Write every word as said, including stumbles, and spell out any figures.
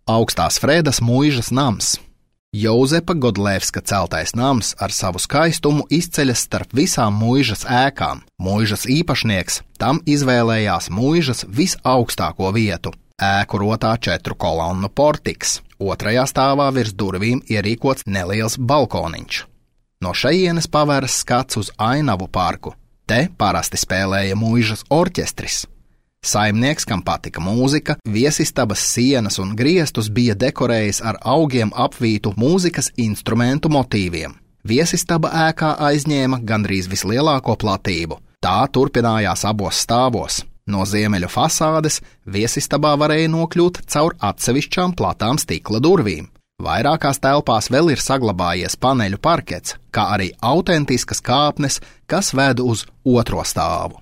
Augstās Fredas muižas nams. Jozepa Godlevska celtais nams ar savu skaistumu izceļas starp visām muižas ēkām. Muižas īpašnieks tam izvēlējās muižas visaugstāko vietu – ēku rotā četru kolonnu portiks. Otrajā stāvā virs durvīm ierīkots neliels balkoniņš. No šejienes pavēras skats uz Ainavu parku. Te parasti spēlēja muižas orķestris. Saimnieks, kam patika mūzika, viesistabas sienas un griestus bija dekorējis ar augiem apvītu mūzikas instrumentu motīviem. Viesistaba ēkā aizņēma gandrīz vislielāko platību. Tā turpinājās abos stāvos. No ziemeļu fasādes viesistabā varēja nokļūt caur atsevišķām platām stikla durvīm. Vairākās telpās vēl ir saglabājies paneļu parkets, kā arī autentiskas kāpnes, kas ved uz otro stāvu.